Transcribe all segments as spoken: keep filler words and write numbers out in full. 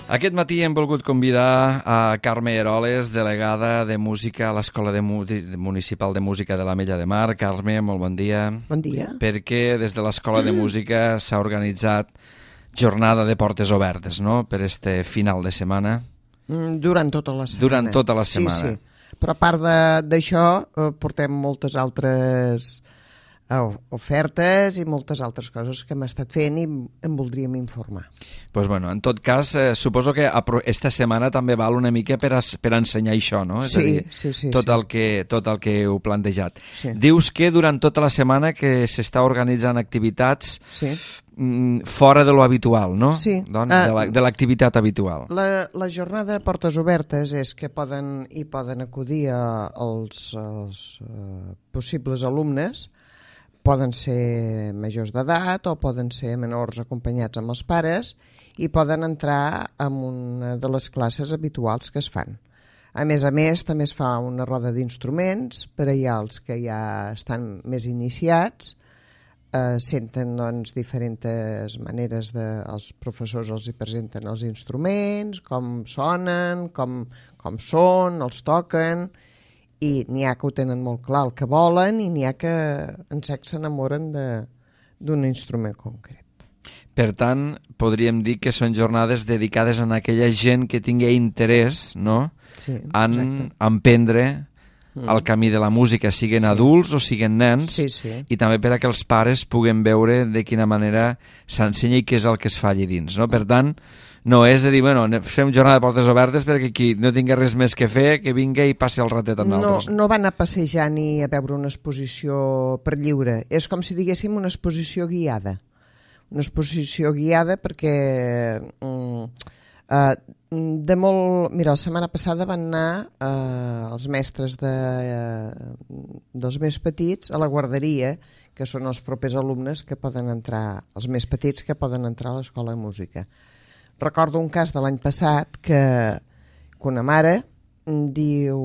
Aquest matí hem volgut convidar a Carme Eroles, delegada de música a l'Escola de Municipal de Música de l'Ametlla de Mar. Carme, molt bon dia. Bon dia. Perquè des de l'Escola de Música s'ha organitzat jornada de portes obertes, no?, per este final de setmana. Durant tota la setmana. Durant tota la setmana. Sí, sí. Però a part d'això, eh, portem moltes altres eh, ofertes i moltes altres coses que hem estat fent i en voldríem informar. Pues bueno, en tot cas, eh, suposo que esta setmana també val una mica per, a, per ensenyar això, no? És sí, a dir, sí, sí. Tot, sí. El que, tot el que heu plantejat. Sí. Dius que durant tota la setmana que s'està organitzant activitats sí. mm, fora de lo habitual, no? Sí. Doncs uh, de l'activitat la, habitual. La, la jornada de portes obertes és que poden, hi poden acudir a, als, als uh, possibles alumnes. Poden ser majors d'edat o poden ser menors acompanyats amb els pares i poden entrar en una de les classes habituals que es fan. A més a més, també es fa una roda d'instruments per allà els que ja estan més iniciats, eh, senten doncs, diferents maneres de... Els professors els hi presenten els instruments, com sonen, com, com són, els toquen... i n'hi ha que ho tenen molt clar el que volen i n'hi ha que en sec s'enamoren d'un instrument concret. Per tant, podríem dir que són jornades dedicades a aquella gent que tingui interès, no?, sí, en emprendre mm. el camí de la música, siguin sí. adults o siguin nens, sí, sí. i també per a que els pares puguen veure de quina manera s'ensenya i què és el que es fa allà dins, no? Per tant, no és de dir, bueno, fem jornada de portes obertes perquè qui no tingui res més que fer, que vingui i passi el ratet amb d'altres. No, no van a passejar ni a veure una exposició per lliure. És com si diguéssim una exposició guiada. Una exposició guiada perquè mm, eh, de molt... Mira, la setmana passada van anar eh, els mestres de, eh, dels més petits a la guarderia, que són els propers alumnes que poden entrar, els més petits que poden entrar a l'Escola de Música. Recordo un cas de l'any passat que, que una mare diu,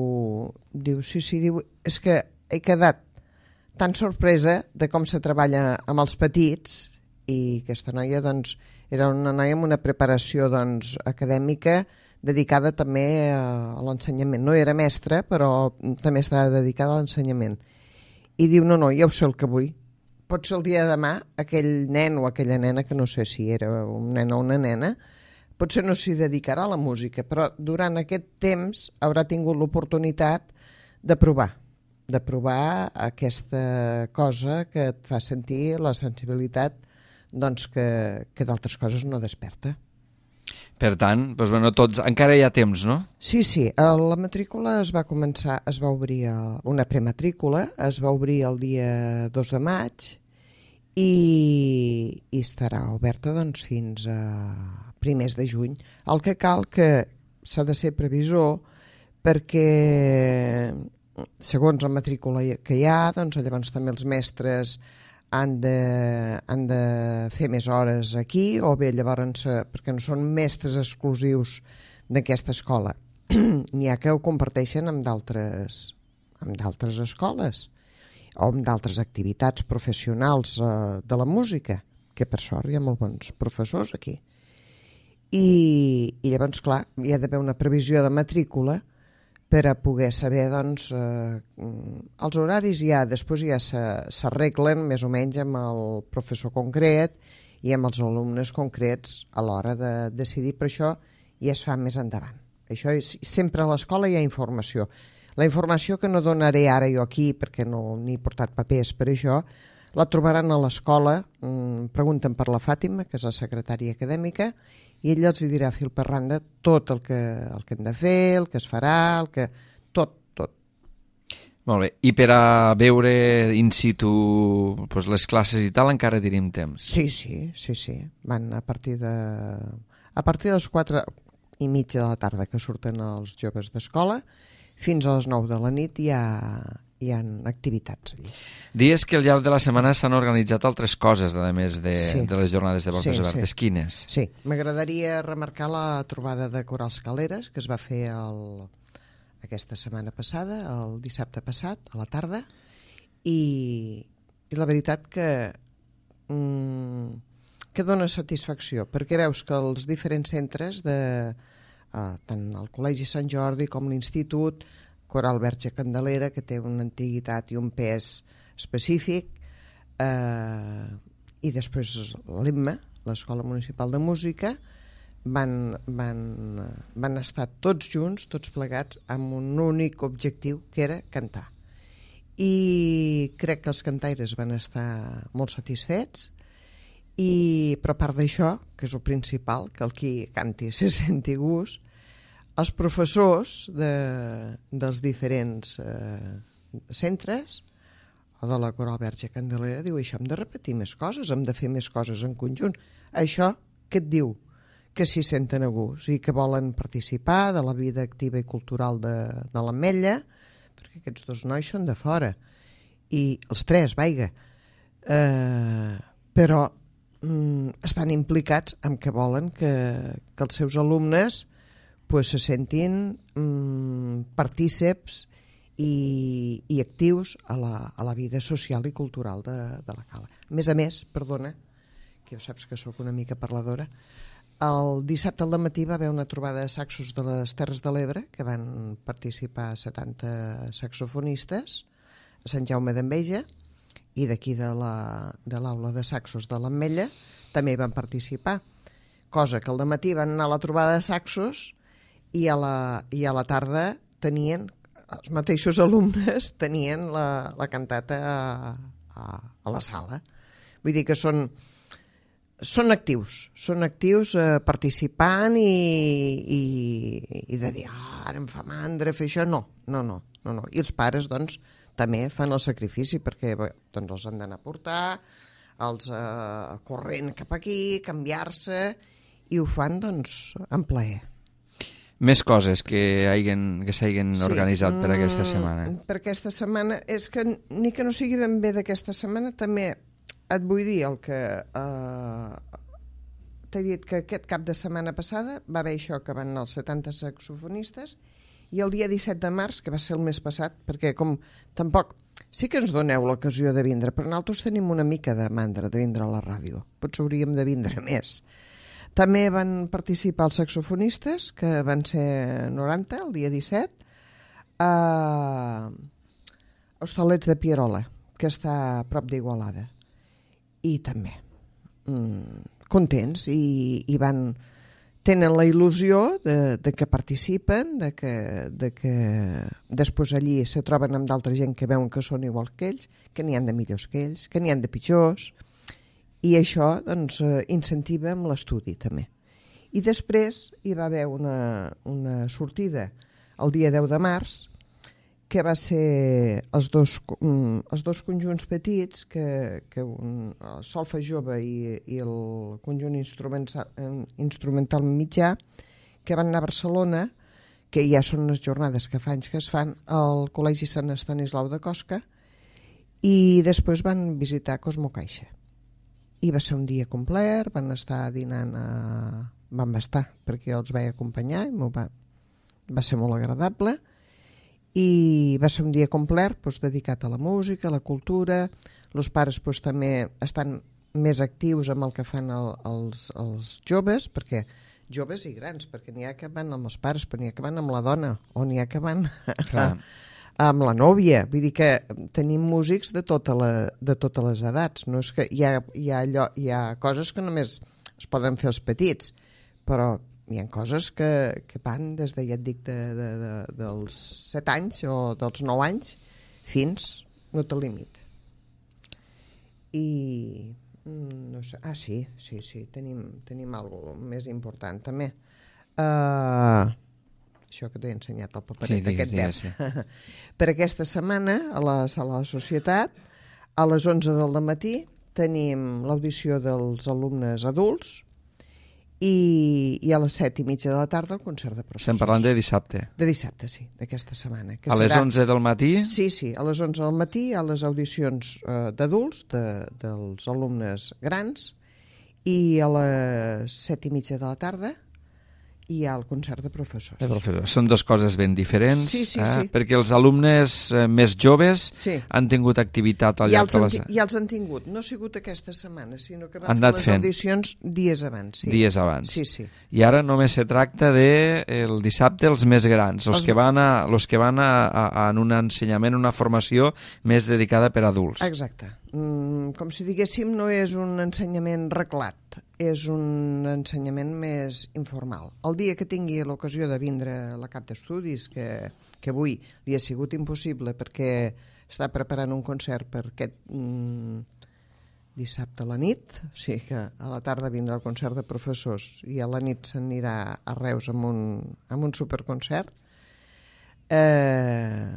diu, sí, sí, diu, és que he quedat tan sorpresa de com se treballa amb els petits i aquesta noia doncs, era una noia amb una preparació doncs, acadèmica dedicada també a, a l'ensenyament. No era mestra, però també estava dedicada a l'ensenyament. I diu, no, no, ja ho sé el que vull. Pot ser el dia de demà aquell nen o aquella nena, que no sé si era un nen o una nena, potser no s'hi dedicarà a la música, però durant aquest temps haurà tingut l'oportunitat de provar, de provar aquesta cosa que et fa sentir la sensibilitat doncs, que, que d'altres coses no desperta. Per tant, doncs, bueno, tots, encara hi ha temps, no? Sí, sí, la matrícula es va començar, es va obrir, una prematrícula, es va obrir el dia dos de maig i, i estarà oberta doncs, fins a primers de juny. El que cal que s'ha de ser previsor perquè segons la matrícula que hi ha, doncs llavors també els mestres han de, han de fer més hores aquí o bé llavors, perquè no són mestres exclusius d'aquesta escola. N'hi ha que ho comparteixen amb d'altres amb d'altres escoles o amb d'altres activitats professionals eh, de la música, que per sort hi ha molt bons professors aquí. I, i llavors, clar, hi ha d'haver una previsió de matrícula per a poder saber, doncs, eh, els horaris ja, després ja s'arreglen més o menys amb el professor concret i amb els alumnes concrets a l'hora de decidir, però això ja es fa més endavant. Això és, sempre a l'escola hi ha informació. La informació que no donaré ara jo aquí, perquè no n'he portat papers per això, la trobaran a l'escola, pregunten per la Fàtima, que és la secretària acadèmica, i ella els dirà fil per randa tot el que, el que hem de fer, el que es farà, el que... tot, tot. Molt bé, i per a veure in situ doncs, les classes i tal encara tenim temps? Sí, sí, sí, sí. Van a partir de... A partir de les quatre i mitja de la tarda que surten els joves d'escola, fins a les nou de la nit hi ha... hi ha activitats allí. Dies que al llarg de la setmana s'han organitzat altres coses, a més de, sí. de les jornades de portes sí, obertes. Sí. Quines? Sí, m'agradaria remarcar la trobada de Corals Caleres, que es va fer el, aquesta setmana passada, el dissabte passat, a la tarda, i, i la veritat que mm, que dona satisfacció, perquè veus que els diferents centres, de, eh, tant el Col·legi Sant Jordi com l'Institut, Coral Verge Candelera, que té una antiguitat i un pes específic, eh, i després l'E M M A, l'Escola Municipal de Música, van, van, van estar tots junts, tots plegats, amb un únic objectiu, que era cantar. I crec que els cantaires van estar molt satisfets, i, però a part d'això, que és el principal, que el qui canti se senti gust, els professors de, dels diferents eh, centres o de la Coral Verge Candelera diu, això hem de repetir més coses, hem de fer més coses en conjunt. Això què et diu? Que s'hi senten a gust i que volen participar de la vida activa i cultural de, de l'Ametlla, perquè aquests dos nois són de fora, i els tres, vaiga, eh, però mm, estan implicats en que volen que, que els seus alumnes pues, se sentin mm, partíceps i, i actius a la, a la vida social i cultural de, de la Cala. A més a més, perdona, que ja saps que sóc una mica parladora, el dissabte al matí va haver una trobada de saxos de les Terres de l'Ebre, que van participar setanta saxofonistes a Sant Jaume d'Enveja, i d'aquí de l'aula de, de saxos de l'Ametlla també hi van participar, cosa que al matí van anar a la trobada de saxos i a la, i a la tarda tenien, els mateixos alumnes tenien la, la cantata a, a, a la sala. Vull dir que són són actius, són actius eh, participant i, i, i de dir, ah, ara em fa mandra fer això, no, no, no, no, no. I els pares, doncs, també fan el sacrifici perquè doncs, els han d'anar a portar, els eh, corrent cap aquí, canviar-se, i ho fan, doncs, en plaer. Més coses que hagin, que s'hagin sí. organitzat per aquesta setmana. Mm, per aquesta setmana, és que ni que no sigui ben bé d'aquesta setmana, també et vull dir el que eh, t'he dit que aquest cap de setmana passada va haver això, que van anar els setanta saxofonistes, i el dia disset de març, que va ser el mes passat, perquè com tampoc sí que ens doneu l'ocasió de vindre, però nosaltres tenim una mica de mandra de vindre a la ràdio, potser hauríem de vindre més. També van participar els saxofonistes, que van ser noranta el dia disset, a Hostalets de Pierola, que està a prop d'Igualada. I també mm, contents i, i van, tenen la il·lusió de, de que participen, de que, de que després allí se troben amb d'altra gent que veuen que són igual que ells, que n'hi han de millors que ells, que n'hi han de pitjors, i això doncs, incentiva amb l'estudi també. I després hi va haver una, una sortida el dia deu de març, que va ser els dos, um, els dos conjunts petits, que, que un, el Solfa Jove i, i el conjunt instrumental, instrumental mitjà, que van anar a Barcelona, que ja són unes jornades que fa anys que es fan, al Col·legi Sant Estanislau de Cosca, i després van visitar Cosmo Caixa. I va ser un dia complet, van estar dinant a... van estar, perquè els vaig acompanyar, i va, va ser molt agradable, i va ser un dia complet doncs, dedicat a la música, a la cultura. Els pares doncs, també estan més actius amb el que fan el, els, els joves, perquè joves i grans, perquè n'hi ha que van amb els pares, però n'hi ha que van amb la dona, o n'hi ha que van amb la nòvia. Vull dir que tenim músics de, tota la, de totes les edats. No és que hi ha, hi, ha allò, hi ha coses que només es poden fer els petits, però hi ha coses que, que van des de, ja et dic, de, de, de, dels set anys o dels nou anys fins no té límit. I no sé, ah sí, sí, sí, tenim, tenim alguna cosa més important també. Uh, això que t'he ensenyat el paperet, sí, digues, aquest digues, sí. Per aquesta setmana a la Sala de la Societat a les onze del matí tenim l'audició dels alumnes adults, I, i a les set i mitja de la tarda el concert de professors. Estem parlant de dissabte. De dissabte, sí, d'aquesta setmana. Que a serà... les onze del matí? Sí, sí, a les onze del matí hi ha les audicions eh, d'adults, de, dels alumnes grans, i a les set i mitja de la tarda i hi ha el concert de professors. De professors. Són dues coses ben diferents, sí, sí, eh? sí. perquè els alumnes eh, més joves sí. han tingut activitat al ja llarg de les... Ja els han tingut, no ha sigut aquesta setmana, sinó que van han fer les fent. audicions dies abans. Sí. Dies abans. Sí, sí. I ara només se tracta de el dissabte els més grans, els, els... que van, a, els que van a, a, a en un ensenyament, una formació més dedicada per a adults. Exacte. Mm, com si diguéssim, no és un ensenyament reglat, és un ensenyament més informal. El dia que tingui l'ocasió de vindre a la cap d'estudis, que, que avui li ha sigut impossible perquè està preparant un concert per aquest mm, dissabte a la nit, o sigui que a la tarda vindrà el concert de professors i a la nit s'anirà a Reus amb un, amb un superconcert, eh,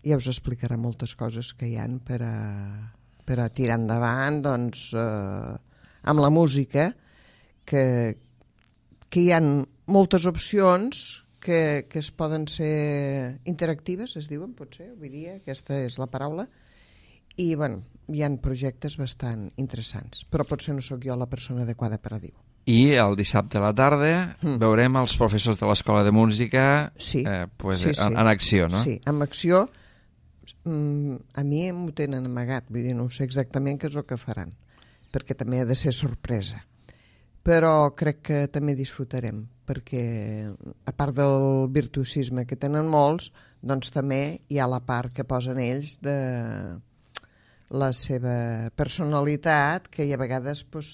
ja us explicarà moltes coses que hi han per a, per a tirar endavant, doncs, eh, amb la música, que, que hi ha moltes opcions que, que es poden ser interactives, es diuen, potser, avui dia, aquesta és la paraula, i bueno, hi ha projectes bastant interessants, però potser no sóc jo la persona adequada per a dir-ho. I el dissabte a la tarda mm. veurem els professors de l'Escola de Música sí, eh, pues, sí, sí. En, en acció, no? Sí, en acció. Mm, a mi m'ho tenen amagat, vull dir, no sé exactament què és el que faran, perquè també ha de ser sorpresa. Però crec que també disfrutarem, perquè a part del virtuosisme que tenen molts, doncs també hi ha la part que posen ells de la seva personalitat, que a vegades pues,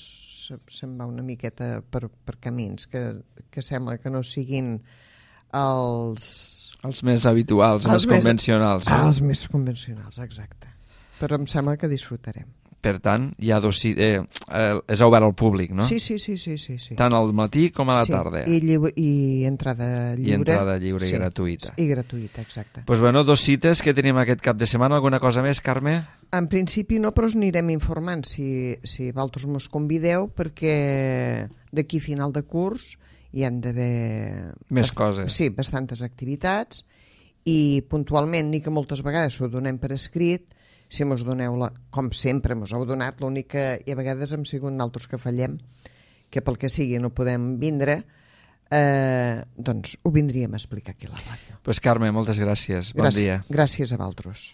se'n va una miqueta per, per camins que, que sembla que no siguin els... Els més habituals, els, els més, convencionals. Eh? Els més convencionals, exacte. Però em sembla que disfrutarem. Per tant, hi ha dos, eh, eh, és obert al públic, no? Sí, sí, sí, sí, sí, sí. Tant al matí com a la sí, tarda. I, lliure, i entrada lliure. I entrada lliure sí, i gratuïta. I gratuïta, exacte. Doncs pues bueno, dos cites que tenim aquest cap de setmana. Alguna cosa més, Carme? En principi no, però us anirem informant si, si vosaltres mos convideu, perquè d'aquí final de curs hi han d'haver... Més coses. Sí, bastantes activitats, i puntualment, ni que moltes vegades ho donem per escrit, si mos doneu, la, com sempre mos heu donat, l'únic que i a vegades hem sigut naltros que fallem, que pel que sigui no podem vindre, eh, doncs ho vindríem a explicar aquí a la ràdio. Doncs pues Carme, moltes gràcies. Bon Gràcies, dia. Gràcies a vosaltres.